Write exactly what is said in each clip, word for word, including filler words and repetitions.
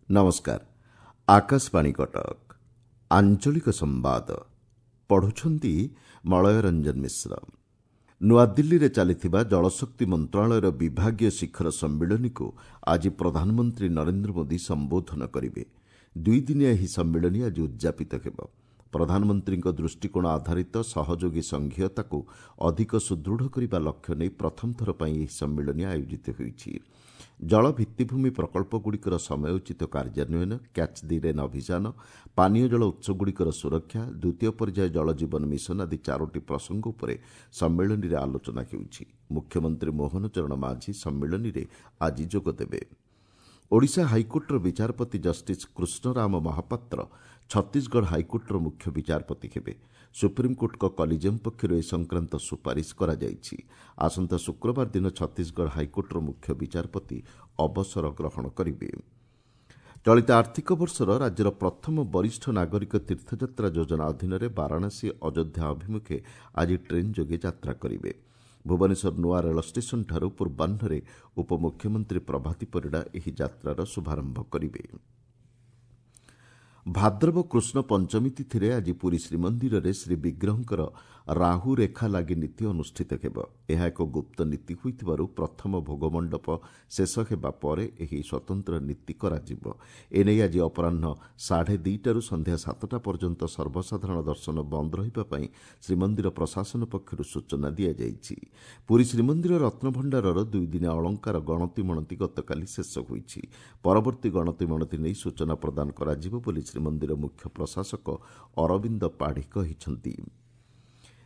ନମସ୍କାର, ଆକାଶବାଣୀ କଟକ। ଆଞ୍ଚଳିକ ସମ୍ବାଦ ପଢ଼ୁଛନ୍ତି ମଳୟ ରଞ୍ଜନ ମିଶ୍ର। ନୂଆଦିଲ୍ଲୀରେ ଚାଲିଥିବା ଜଳଶକ୍ତି ମନ୍ତ୍ରଣାଳୟର ବିଭାଗୀୟ ଶିଖର ସମ୍ମିଳନୀକୁ ଆଜି ପ୍ରଧାନମନ୍ତ୍ରୀ ନରେନ୍ଦ୍ର ମୋଦି ସମ୍ବୋଧନ କରିବେ। ଦୁଇଦିନିଆ ଏହି ସମ୍ମିଳନୀ ଆଜି ଉଦ୍ଯାପିତ ହେବ। ପ୍ରଧାନମନ୍ତ୍ରୀଙ୍କ ଦୃଷ୍ଟିକୋଣ ଆଧାରିତ ସହଯୋଗୀ ସଂଘୀୟତାକୁ ଅଧିକ ସୁଦୃଢ଼ କରିବା ଲକ୍ଷ୍ୟ ନେଇ ପ୍ରଥମ ଥର ପାଇଁ ଏହି ସମ୍ମିଳନୀ ଆୟୋଜିତ ହୋଇଛି। ଜଳ ଭିତ୍ତିଭୂମି ପ୍ରକଳ୍ପଗୁଡ଼ିକର ସମୟୋଚିତ କାର୍ଯ୍ୟାନ୍ୱୟନ, କ୍ୟାଚ୍ ଦି ରେନ୍ ଅଭିଯାନ, ପାନୀୟ ଜଳ ଉତ୍ସଗୁଡ଼ିକର ସୁରକ୍ଷା, ଦ୍ୱିତୀୟ ପର୍ଯ୍ୟାୟ ଜଳ ଜୀବନ ମିଶନ ଆଦି ଚାରୋଟି ପ୍ରସଙ୍ଗ ଉପରେ ସମ୍ମିଳନୀରେ ଆଲୋଚନା ହେଉଛି। ମୁଖ୍ୟମନ୍ତ୍ରୀ ମୋହନ ଚରଣ ମାଝୀ ସମ୍ମିଳନୀରେ ଆଜି ଯୋଗଦେବେ। ଓଡ଼ିଶା ହାଇକୋର୍ଟର ବିଚାରପତି ଜଷ୍ଟିସ୍ କୃଷ୍ଣରାମ ମହାପାତ୍ର ଛତିଶଗଡ଼ ହାଇକୋର୍ଟର ମୁଖ୍ୟ ବିଚାରପତି ହେବେ। ସୁପ୍ରିମକୋର୍ଟଙ୍କ କଲିଜିୟମ୍ ପକ୍ଷରୁ ଏ ସଂକ୍ରାନ୍ତ ସୁପାରିଶ କରାଯାଇଛି। ଆସନ୍ତା ଶୁକ୍ରବାର ଦିନ ଛତିଶଗଡ଼ ହାଇକୋର୍ଟର ମୁଖ୍ୟ ବିଚାରପତି ଅବସର ଗ୍ରହଣ କରିବେ। ଚଳିତ ଆର୍ଥିକ ବର୍ଷର ରାଜ୍ୟର ପ୍ରଥମ ବରିଷ୍ଠ ନାଗରିକ ତୀର୍ଥଯାତ୍ରା ଯୋଜନା ଅଧୀନରେ ବାରାଣସୀ ଅଯୋଧ୍ୟା ଅଭିମୁଖେ ଆଜି ଟ୍ରେନ୍ ଯୋଗେ ଯାତ୍ରା କରିବେ। ଭୁବନେଶ୍ୱର ନୂଆ ରେଳ ଷ୍ଟେସନଠାରୁ ପୂର୍ବାହ୍ନରେ ଉପମୁଖ୍ୟମନ୍ତ୍ରୀ ପ୍ରଭାତୀ ପରିଡ଼ା ଏହି ଯାତ୍ରାର ଶୁଭାରମ୍ଭ କରିବେ। ଭାଦ୍ରବ କୃଷ୍ଣ ପଞ୍ଚମୀ ତିଥିରେ ଆଜି ପୁରୀ ଶ୍ରୀମନ୍ଦିରରେ ଶ୍ରୀବିଗ୍ରହଙ୍କର ରାହୁ ରେଖା ଲାଗି ନୀତି ଅନୁଷ୍ଠିତ ହେବ। ଏହା ଏକ ଗୁପ୍ତ ନୀତି ହୋଇଥିବାରୁ ପ୍ରଥମ ଭୋଗମଣ୍ଡପ ଶେଷ ହେବା ପରେ ଏହି ସ୍ୱତନ୍ତ୍ର ନୀତି କରାଯିବ। ଏନେଇ ଆଜି ଅପରାହ୍ନ ସାଢ଼େ ଦୁଇଟାରୁ ସନ୍ଧ୍ୟା ସାତଟା ପର୍ଯ୍ୟନ୍ତ ସର୍ବସାଧାରଣ ଦର୍ଶନ ବନ୍ଦ ରହିବା ପାଇଁ ଶ୍ରୀମନ୍ଦିର ପ୍ରଶାସନ ପକ୍ଷରୁ ସୂଚନା ଦିଆଯାଇଛି। ପୁରୀ ଶ୍ରୀମନ୍ଦିର ରତ୍ନଭଣ୍ଡାରର ଦୁଇଦିନିଆ ଅଳଙ୍କାର ଗଣତି ମଣତି ଗତକାଲି ଶେଷ ହୋଇଛି। ପରବର୍ତ୍ତୀ ଗଣତି ମଣତି ନେଇ ସୂଚନା ପ୍ରଦାନ କରାଯିବ ବୋଲି ଶ୍ରୀମନ୍ଦିର ମୁଖ୍ୟ ପ୍ରଶାସକ ଅରବିନ୍ଦ ପାଢ଼ୀ କହିଛନ୍ତି।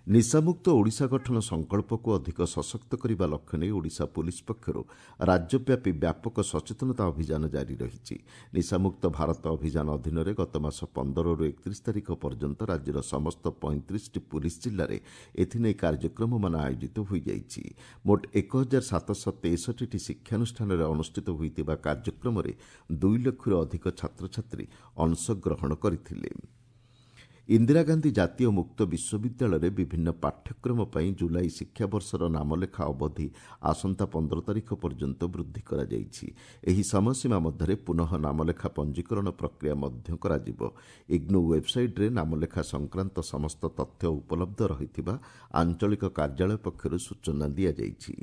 ନିଶାମୁକ୍ତ ଓଡ଼ିଶା ଗଠନ ସଂକଳ୍ପକୁ ଅଧିକ ସଶକ୍ତ କରିବା ଲକ୍ଷ୍ୟ ନେଇ ଓଡ଼ିଶା ପୁଲିସ୍ ପକ୍ଷରୁ ରାଜ୍ୟବ୍ୟାପୀ ବ୍ୟାପକ ସଚେତନତା ଅଭିଯାନ ଜାରି ରହିଛି। ନିଶାମୁକ୍ତ ଭାରତ ଅଭିଯାନ ଅଧୀନରେ ଗତମାସ ପନ୍ଦରରୁ ଏକତିରିଶ ତାରିଖ ପର୍ଯ୍ୟନ୍ତ ରାଜ୍ୟର ସମସ୍ତ ପଇଁତିରିଶଟି ପୁଲିସ୍ ଜିଲ୍ଲାରେ ଏଥିନେଇ କାର୍ଯ୍ୟକ୍ରମମାନ ଆୟୋଜିତ ହୋଇଯାଇଛି। ମୋଟ ଏକ ହଜାର ସାତଶହ ତେଷଠିଟି ଶିକ୍ଷାନୁଷ୍ଠାନରେ ଅନୁଷ୍ଠିତ ହୋଇଥିବା କାର୍ଯ୍ୟକ୍ରମରେ ଦୁଇ ଲକ୍ଷରୁ ଅଧିକ ଛାତ୍ରଛାତ୍ରୀ ଅଂଶଗ୍ରହଣ କରିଥିଲେ। ଇନ୍ଦିରା ଗାନ୍ଧୀ ଜାତୀୟ ମୁକ୍ତ ବିଶ୍ୱବିଦ୍ୟାଳୟରେ ବିଭିନ୍ନ ପାଠ୍ୟକ୍ରମ ପାଇଁ ଜୁଲାଇ ଶିକ୍ଷାବର୍ଷର ନାମଲେଖା ଅବଧି ଆସନ୍ତା ପନ୍ଦର ତାରିଖ ପର୍ଯ୍ୟନ୍ତ ବୃଦ୍ଧି କରାଯାଇଛି। ଏହି ସମୟସୀମା ମଧ୍ୟରେ ପୁନଃ ନାମଲେଖା ପଞ୍ଜୀକରଣ ପ୍ରକ୍ରିୟା ମଧ୍ୟ କରାଯିବ। ଇଗ୍ନୋ ୱେବ୍ସାଇଟ୍ରେ ନାମଲେଖା ସଂକ୍ରାନ୍ତ ସମସ୍ତ ତଥ୍ୟ ଉପଲବ୍ଧ ରହିଥିବା ଆଞ୍ଚଳିକ କାର୍ଯ୍ୟାଳୟ ପକ୍ଷରୁ ସୂଚନା ଦିଆଯାଇଛି।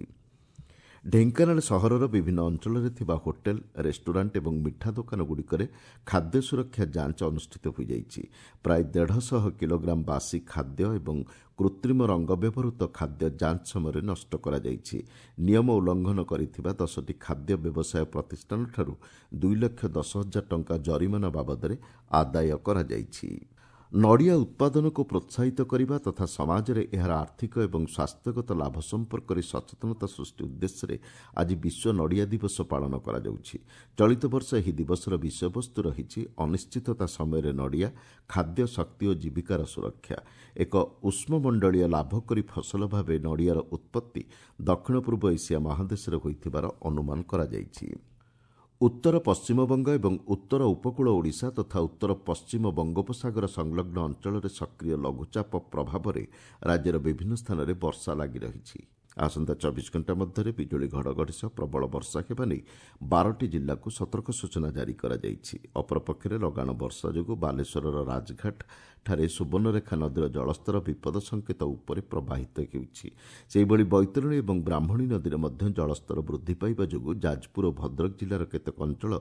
ଢେଙ୍କାନାଳ ସହରର ବିଭିନ୍ନ ଅଞ୍ଚଳରେ ଥିବା ହୋଟେଲ, ରେଷ୍ଟୁରାଣ୍ଟ ଏବଂ ମିଠା ଦୋକାନଗୁଡ଼ିକରେ ଖାଦ୍ୟ ସୁରକ୍ଷା ଯାଞ୍ଚ ଅନୁଷ୍ଠିତ ହୋଇଯାଇଛି। ପ୍ରାୟ ଦେଢ଼ଶହ କିଲୋଗ୍ରାମ ବାସି ଖାଦ୍ୟ ଏବଂ କୃତ୍ରିମ ରଙ୍ଗ ବ୍ୟବହୃତ ଖାଦ୍ୟ ଯାଞ୍ଚ ସମୟରେ ନଷ୍ଟ କରାଯାଇଛି। ନିୟମ ଉଲ୍ଲଂଘନ କରିଥିବା ଦଶଟି ଖାଦ୍ୟ ବ୍ୟବସାୟ ପ୍ରତିଷ୍ଠାନଠାରୁ ଦୁଇ ଲକ୍ଷ ଦଶ ହଜାର ଟଙ୍କା ଜରିମାନା ବାବଦରେ ଆଦାୟ କରାଯାଇଛି। ନଡ଼ିଆ ଉତ୍ପାଦନକୁ ପ୍ରୋତ୍ସାହିତ କରିବା ତଥା ସମାଜରେ ଏହାର ଆର୍ଥିକ ଏବଂ ସ୍ୱାସ୍ଥ୍ୟଗତ ଲାଭ ସମ୍ପର୍କରେ ସଚେତନତା ସୃଷ୍ଟି ଉଦ୍ଦେଶ୍ୟରେ ଆଜି ବିଶ୍ୱ ନଡ଼ିଆ ଦିବସ ପାଳନ କରାଯାଉଛି। ଚଳିତ ବର୍ଷ ଏହି ଦିବସର ବିଷୟବସ୍ତୁ ରହିଛି ଅନିଶ୍ଚିତତା ସମୟରେ ନଡ଼ିଆ, ଖାଦ୍ୟ, ଶକ୍ତି ଓ ଜୀବିକାର ସୁରକ୍ଷା। ଏକ ଉଷ୍ମମଣ୍ଡଳୀୟ ଲାଭକରୀ ଫସଲ ଭାବେ ନଡ଼ିଆର ଉତ୍ପତ୍ତି ଦକ୍ଷିଣ ପୂର୍ବ ଏସିଆ ମହାଦେଶରେ ହୋଇଥିବାର ଅନୁମାନ କରାଯାଇଛି। ଉତ୍ତର ପଶ୍ଚିମବଙ୍ଗ ଏବଂ ଉତ୍ତର ଉପକୂଳ ଓଡ଼ିଶା ତଥା ଉତ୍ତର ପଶ୍ଚିମ ବଙ୍ଗୋପସାଗର ସଂଲଗ୍ନ ଅଞ୍ଚଳରେ ସକ୍ରିୟ ଲଘୁଚାପ ପ୍ରଭାବରେ ରାଜ୍ୟର ବିଭିନ୍ନ ସ୍ଥାନରେ ବର୍ଷା ଲାଗି ରହିଛି। ଆସନ୍ତା ଚବିଶ ଘଣ୍ଟା ମଧ୍ୟରେ ବିଜୁଳି ଘଡ଼ଘଡ଼ି ସହ ପ୍ରବଳ ବର୍ଷା ହେବା ନେଇ ବାରଟି ଜିଲ୍ଲାକୁ ସତର୍କ ସୂଚନା ଜାରି କରାଯାଇଛି। ଅପରପକ୍ଷରେ ଲଗାଣ ବର୍ଷା ଯୋଗୁଁ ବାଲେଶ୍ୱରର ରାଜଘାଟ ଠାରେ ସୁବର୍ଣ୍ଣରେଖା ନଦୀର ଜଳସ୍ତର ବିପଦ ସଙ୍କେତ ଉପରେ ପ୍ରବାହିତ ହେଉଛି। ସେହିଭଳି ବୈତରଣୀ ଏବଂ ବ୍ରାହ୍ମଣୀ ନଦୀରେ ମଧ୍ୟ ଜଳସ୍ତର ବୃଦ୍ଧି ପାଇବା ଯୋଗୁଁ ଯାଜପୁର ଓ ଭଦ୍ରକ ଜିଲ୍ଲାର କେତେକ ଅଞ୍ଚଳ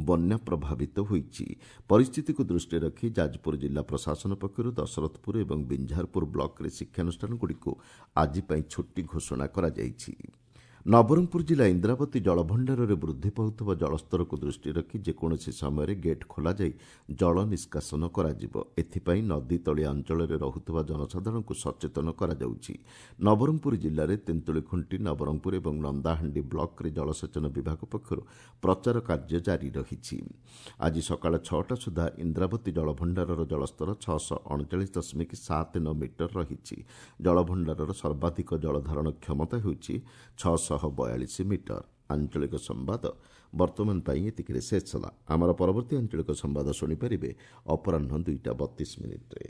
ବନ୍ୟା ପ୍ରଭାବିତ ହୋଇଛି। ପରିସ୍ଥିତିକୁ ଦୃଷ୍ଟିରେ ରଖି ଯାଜପୁର ଜିଲ୍ଲା ପ୍ରଶାସନ ପକ୍ଷରୁ ଦଶରଥପୁର ଏବଂ ବିଞ୍ଝାରପୁର ବ୍ଲକରେ ଶିକ୍ଷାନୁଷ୍ଠାନଗୁଡ଼ିକୁ ଆଜି ପାଇଁ ଛୁଟି ଘୋଷଣା କରାଯାଇଛି। ନବରଙ୍ଗପୁର ଜିଲ୍ଲା ଇନ୍ଦ୍ରାବତୀ ଜଳଭଣ୍ଡାରରେ ବୃଦ୍ଧି ପାଉଥିବା ଜଳସ୍ତରକୁ ଦୃଷ୍ଟିରେ ରଖି ଯେକୌଣସି ସମୟରେ ଗେଟ୍ ଖୋଲାଯାଇ ଜଳ ନିଷ୍କାସନ କରାଯିବ। ଏଥିପାଇଁ ନଦୀ ତଳିଆ ଅଞ୍ଚଳରେ ରହୁଥିବା ଜନସାଧାରଣଙ୍କୁ ସଚେତନ କରାଯାଉଛି। ନବରଙ୍ଗପୁର ଜିଲ୍ଲାରେ ତେନ୍ତୁଳିଖୁଣ୍ଟି, ନବରଙ୍ଗପୁର ଏବଂ ନନ୍ଦାହାଣ୍ଡି ବ୍ଲକରେ ଜଳସେଚନ ବିଭାଗ ପକ୍ଷରୁ ପ୍ରଚାର କାର୍ଯ୍ୟ ଜାରି ରହିଛି। ଆଜି ସକାଳ ଛଅଟା ସୁଦ୍ଧା ଇନ୍ଦ୍ରାବତୀ ଜଳଭଣ୍ଡାରର ଜଳସ୍ତର ଛଅଶହ ଅଣଚାଳିଶ ଦଶମିକ ସାତ ନଅ ମିଟର ରହିଛି। ଜଳଭଣ୍ଡାରର ସର୍ବାଧିକ ଜଳଧାରଣ କ୍ଷମତା ହେଉଛି ଛଅଶହ ବୟାଳିଶ ମିଟର। ଆଞ୍ଚଳିକ ସମ୍ବାଦ ବର୍ତ୍ତମାନ ପାଇଁ ଏତିକିରେ ଶେଷ ହେଲା। ଆମର ପରବର୍ତ୍ତୀ ଆଞ୍ଚଳିକ ସମ୍ବାଦ ଶୁଣିପାରିବେ ଅପରାହ୍ନ ଦୁଇଟା ବତିଶ ମିନିଟ୍ରେ।